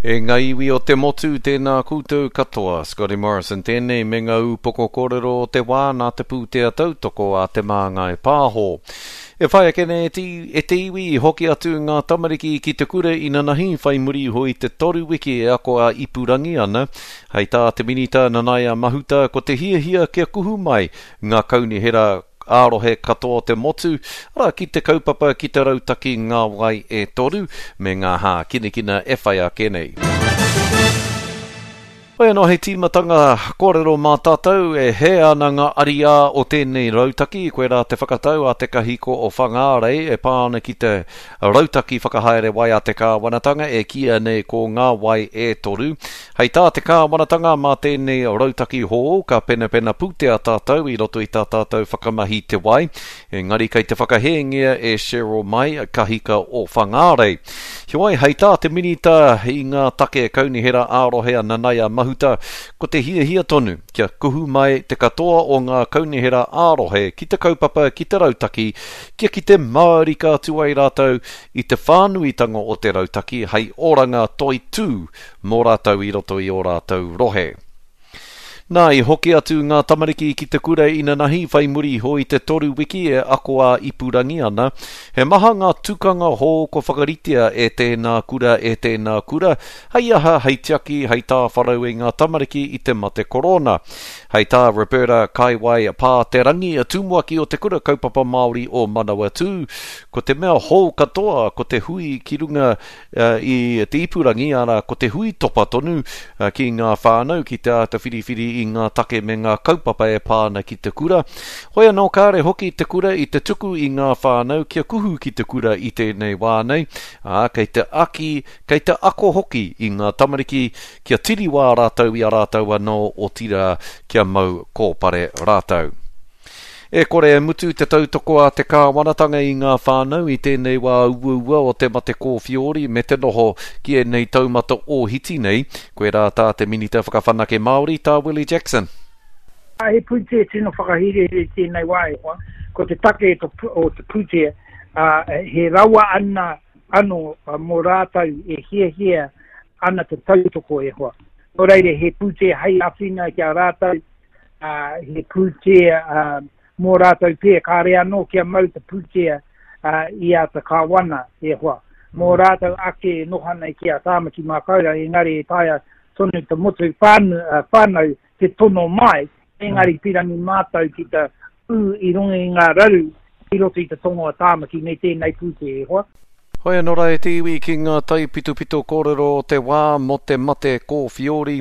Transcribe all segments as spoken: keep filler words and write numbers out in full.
E ngā iwi o te motu, tēnā koutou katoa. Scotty Morrison tēnei me ngā upoko kōrero o te wā nā te pūtea tautoko a Te Māngai Pāho. E whai ake nei e te, e te iwi i hoki atu ngā tamariki ki te kura inanahi whai muri iho i te toru wiki e ako a ipurangi ana. Hei tā te Minita Nanaia Mahuta ko te hiahia kia kuhu mai ngā kaunihera ā-rohe katoa o te motu, arā ki te kaupapa ki te rautaki Ngā Wai e Toru me ngā hākinakina e whai ake nei. Hoi anō hei tīmatanga kōrero mā tātou e hē ana ngā ariā o tēnei rautaki, koirā te whakatau a Te Kahiko o Whangārei e pā ana ki te rautaki whakahaere wai a te kāwanatanga e kīia nei ko Ngā Wai e Toru. Hei tā te kāwanatanga mā tēnei rautaki hou ka penapena pūtea tātou i roto i tā tātou whakamahi te wai, engari kei te whakahēngia e Cheryl Mai, Kahika o Whangārei. Heoi, hei tā te Minita i ngā take kaunihera ā-rohe a Nanaia Mahuta, ko te hiahia tonu kia kuhu mai te katoa o ngā kaunihera ā-rohe ki te kaupapa ki te rautaki kia kite mārika atu ai rātou i te whānuitanga o te rautaki hei oranga toitū mō rātou i roto i ō rātou rohe. Nā, i hoki atu ngā tamariki ki te kura inanahi whai muri iho i te toru wiki e ako ā-ipurangi ana. He maha ngā tukanga hou kua whakaritea e tēnā kura, e tēnā kura, hei aha, hei tiaki, hei tāwharau i ngā tamariki i te mate korona. Hei tā Roberta Kaiwai Pāterangi, tumuaki o Te Kura Kaupapa Māori o Manawatū, ko te mea hou katoa ko te hui ki runga i te ipurangi, arā, ko te hui topa tonu ki ngā whānau ki te āta whiriwhiri i ngā take me ngā kaupapa e pā ana ki te kura. Hoi anō kāre hoki te kura i te tuku i ngā whānau kia kuhu ki te kura i tēnei wā nei, ā, kei te aki, kei te ako hoki i ngā tamariki kia tiriwā rātou i a rātou anō, otirā kia mau kōpare rātou. E kore e mutu te tautoko a te kāwanatanga i ngā whānau i tēnei wā uaua o te mate kōwhiori me te noho ki ēnei taumata ōhiti nei, koirā tā te Minita Whakawhanake Māori, tā Willie Jackson. He pūtea tino whakahirahira i tēnei wā e hoa. Ko te take o te pūtea, he rawa ana anō mō rātou e hiahia ana te tautoko e hoa. Nō reira, he pūtea hei āwhina ki a rātou, he pūtea mō rātou pē, kāre anō kia mau te pūtea i a te kāwana e hoa. Mō rātou ake e noho ana ki a Tāmaki Makaurau, engari e taea tonu te motu whānau te tono mai, engari pirangi mātou ki te ū i runga i ngā raru i roto i te tonga o Tāmaki me tēnei pūtea e hoa. Hoi anō rā e te iwi ki ngā taipitopito kōrero o te wā mō te mate kōwhiori.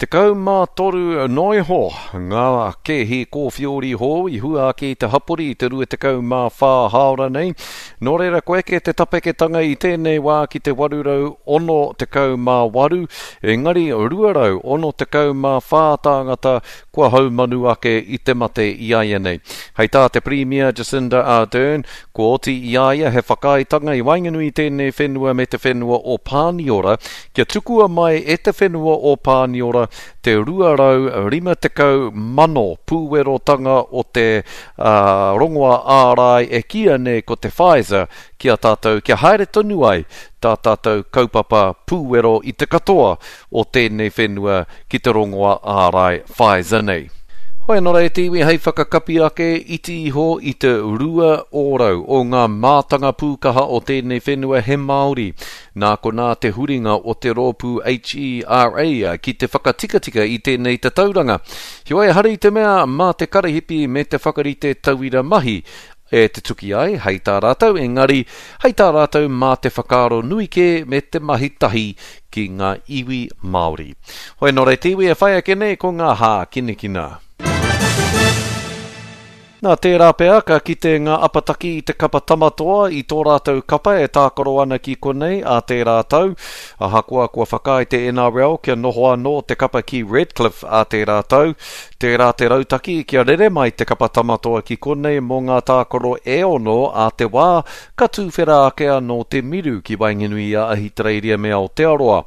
Tekau mā toru noa iho ngā kēhi kōwhiori hou i hua ake i te hapori i te rua tekau mā whā hāora nei. Nō reira kua eke te tapeketanga i tēnei wā ki te waru rau ono tekau mā waru, engari rua rau ono tekau mā whā tāngata kua haumanu ake i te mate i a ia nei. Hei tā te Pirimia Jacinda Ardern, kua oti i a ia he whakaaetanga i waenganui i tēnei whenua me te whenua o Pāniora kia tukua mai e te whenua o Pāniora te rua rau rima tekau mano pūwerotanga o te uh, rongoa ārai e kīia nei ko te Pfizer ki a tātou kia haere tonu ai tā tātou kaupapa pūwero i te katoa o tēnei whenua ki te rongoa ārai Pfizer nei. Hoi anō rā e te iwi hei whakakapi ake iti iho i te rua ōrau o ngā mātanga pūkaha o tēnei whenua he Māori. Nā konā te huringa o te rōpū H E R A ki te whakatikatika i tēnei tatauranga. Heoi ehara i te mea mā te karahipi me te whakarite tauira mahi e te tuki ai, hei tā rātou, engari hei tā rātou mā te whakaaro nui kē me te mahi tahi ki ngā iwi Māori. Hoi anō rā e te iwi e whai ake nei ko ngā hākinakina. Nā tērā pea ka kite ngā apataki i te kapa tamatoa i tō rātou kapa e tākaro ana ki konei ā tērā tau. Ahakoa kua whakaae te N R L kia noho anō te kapa ki Redcliffe ā tērā tau, tērā te rautaki kia rere mai te kapa tamatoa ki konei mō ngā tākaro e ono ā te wā ka tūwhera ake anō te miru ki waenganui i a Ahitereiria me Aotearoa.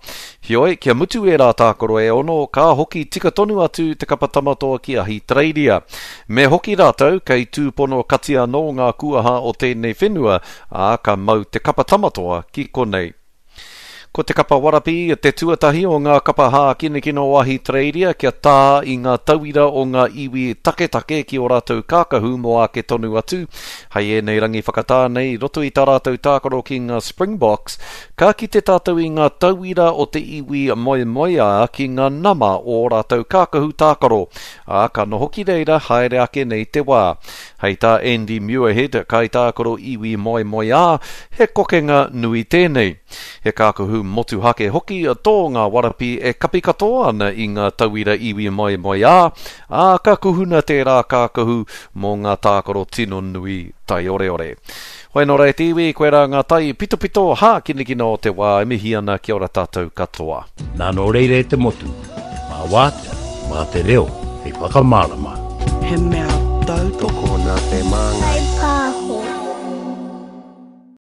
Heoi, kia mutu ērā tākaro e ono, ka hoki tika tonu atu te kapa tamatoa ki Ahitereiria. Me hoki rātou, kei tūpono kati anō ngā kuaha o tēnei whenua, ā, ka mau te kapa tamatoa ki konei. Ko te kapa warapi te tuatahi o ngā kapa hākinakina o Ahitereiria kia tā i ngā tauira o ngā iwi taketake ki o rātou kākahu mō ake tonu atu. Hei ēnei rangi whakatā nei, roto i tā rātou tākaro ki ngā Springboks, ka kite tātou i ngā tauira o te iwi moemoeā ki ngā nama o rātou kākahu tākaro. Ā, ka noho ki reira haere ake nei te wā. Hei tā Andy Muirhead, kaitākaro iwi moemoeā, he kokenga nui tēnei. He kākahu motuhake hoki tō ngā warapi e kapi katoa ana i ngā tauira iwi moemoeā, ā, ka kuhuna tērā kākahu mō ngā tākaro tino nui taioreore. Hoi nō rā e te iwi, koe rā ngā tai pitopito hākinakina o te wā e mihi ana kia ora tātou katoa. Nā nō reira e te motu, mā wātea, mā te reo, hei whakamārama. He mea tautoko Tokona te māngai.